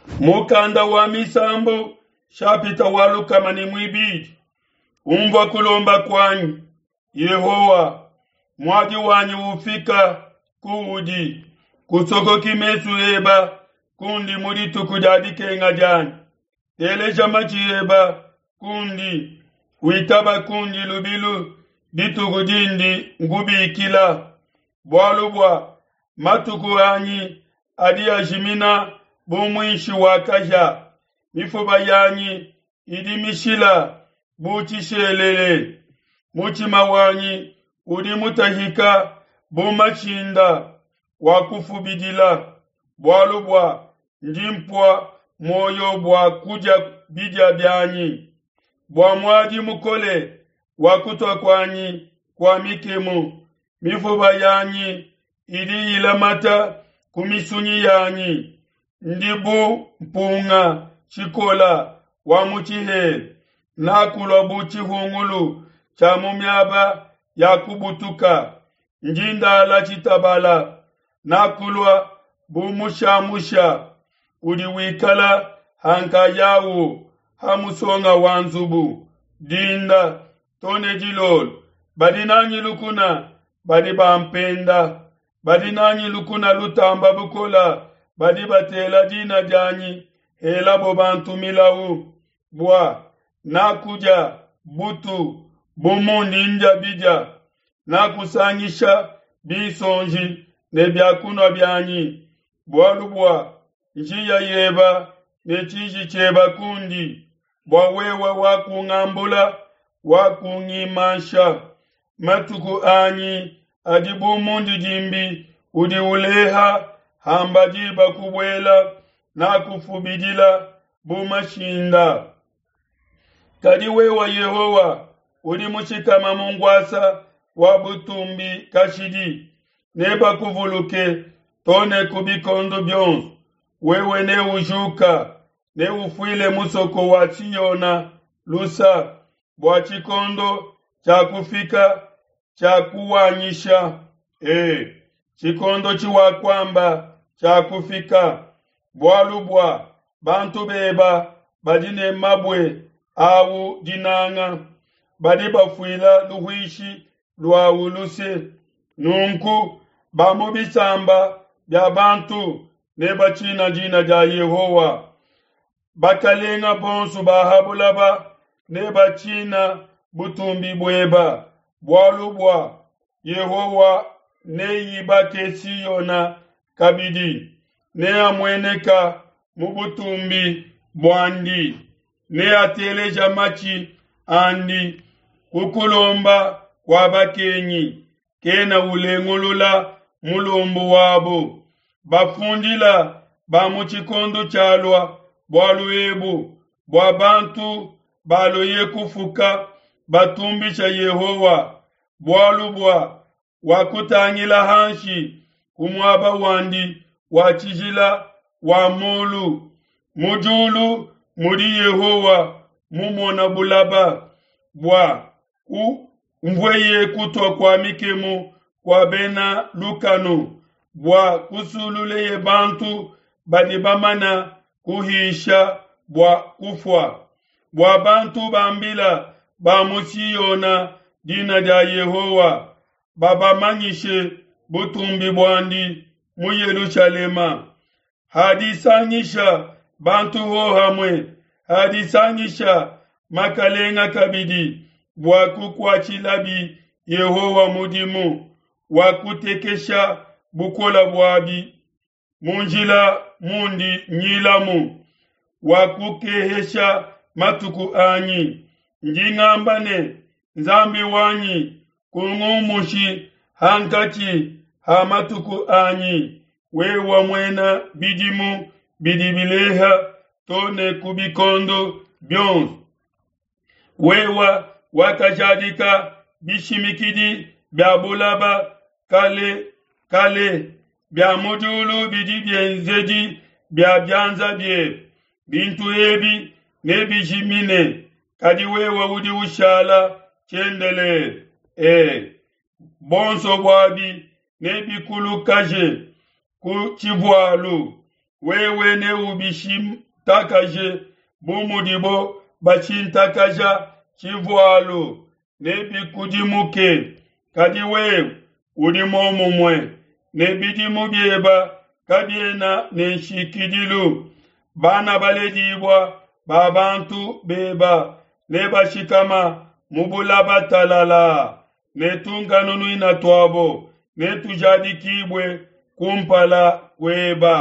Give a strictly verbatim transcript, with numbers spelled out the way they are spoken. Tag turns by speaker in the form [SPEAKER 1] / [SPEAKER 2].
[SPEAKER 1] Mukanda wa Misambu shapita wa lukama ne muibidi. Umvua kulomba kuanyi, Yehowa, muadi wanyi ufika kuudi, kusokoki mesu eba kundi mu dituku dia dikenga dianyi. Teleja matshi eba kundi, witaba kundi lubilu dituku dindi nkubikila. Bualu bua matuku anyi adi ajimina bu muinshi wa kahia, mifuba yanyi idi mishila bu tshishelele. Mutshima wanyi udi mutahika bu mashinda wa kufubidila, bualu bua ndi mpua muoyo bua kudia bidia bianyi. Bua muadi mukole wa kutua kuanyi kua mikemu, mifuba yanyi idi ilamata ku misunyi yanyi. Ndi bu mpunga tshikola wa mu tshihela, nakulua bu tshihungulu tshia mu miaba ya kubutuka. Ndi ndala tshitabala, nakulua bu mushamusha udi wikala ha nkayawu ha musonga wa nzubu. Dinda to ne dilolo badi nanyi lukuna, badi bampenda, badi nanyi lukuna lutamba bukola, badi batela dina dianyi helabo bantu milau. Bua nakudia butu bu mundi ndia bidia, nakusangisha binsonji ne biakunua bianyi, bualu bua njiya yeba ne tshiji tshieba kundi, bua wewe wakungambula, wakungimansha. Matuku anyi adi bu mundidimbi udi uleha hamba diba kubuela, nakufubidila bu mashinda. Kadi wewe Yehowa udi mushikama mu nkuasa wa butumbi kashidi, nebakuvuluke to ne ku bikondo bionso. Wewe neujuka, neufuile musoko wa Siona lusa, bua tshikondo tshiakufika tshiakuwanyisha. E, tshikondo tshiwakuamba tshiakufika, bualu bua bantu beba badi ne mabue awu dinanga, badi bafuila luhuishi luawu luse. Nunku ba mu bisamba bia bantu nebatshina dina dia Yehowa. Bakalenga bonso ba ha bulaba nebatshina butumbi bueba, bualu bua Yehowa neibake Siona kabidi, neamueneka mu butumbi buandi, neateleja matshi andi ku kulomba kua bakengi, kena ulengulula mulombu wabo. Bafundila ba mu tshikondo tshialua bualu ebu, bua bantu baloye kufuka batumbisha Yehowa, bualu bua wakutangila hanshi ku muaba wandi wa tshijila wa mulu. Mu diulu mudi Yehowa mumona bulaba, bua kumvueye kutua kua mikemu kua bena lukanu, bua kusululeye bantu badi bamana kuhisha bua kufua, bua bantu bambila ba mu Siona dina dia Yehowa, babamanyishe butumbi buandi mu Yelushalema. Hadisangisha bantu hohamue, hadisangisha makalenga kabidi, bua kukuatshilabi Yehowa mudimu, wa kutekesha bukola buabi mu njila mundi nyilamu, wa kukehesha matuku anyi. Ndi ngamba ne, Nzambi wanyi, kungumushi hankatshi ha matuku anyi, wewe muena bidimu bidi bileha to ne ku bikondo bionso. Wewe wakajadika bishimikidi bia bulaba kale kale, bia mu diulu bidi bienzedi bia bianza biebe. Bintu ebi nebijimine, kadi wewe udi ushala tshiendelele. E, bonso buabi nebikulukaje ku tshivualu, Wewe neubishintakaje bu mudibo bashintakaja tshivualu, nebikudimuke. Kadi wewe udi muomumue, ne bidimu bieba kabiena ne nshikidilu. Bana baledibua ba bantu beba nebashikama mu bulaba talalaa, ne tunkanunuina tuabo netujadikibue kumpala kueba.